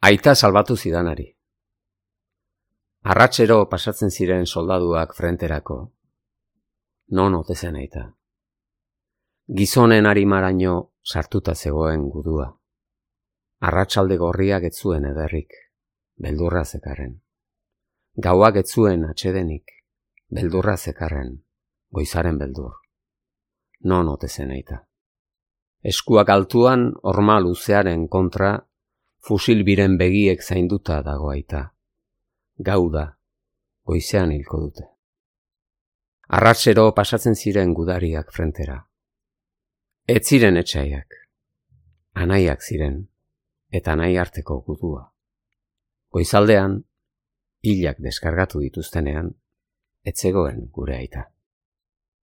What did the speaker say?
Aita salbatu zidanari. Arratsero pasatzen ziren soldaduak frenterako. Non ote zen aita. Gizonen arimaraino sartuta zegoen gudua. Arratsalde gorriak ez zuen ederrik, beldurra zekarren. Gauak ez zuen atsedenik, beldurra zekarren, goizaren beldur. Non ote zen aita. Eskuak altuan horma luzearen kontra, fusil biren begiek zainduta dago aita. Gau da, goizean hilko dute. Arratsero pasatzen ziren gudariak frentera. Ez ziren etxaiak, anaiak ziren, eta anai arteko gudua. Goizaldean, hilak deskargatu dituztenean, ez zegoen gure aita.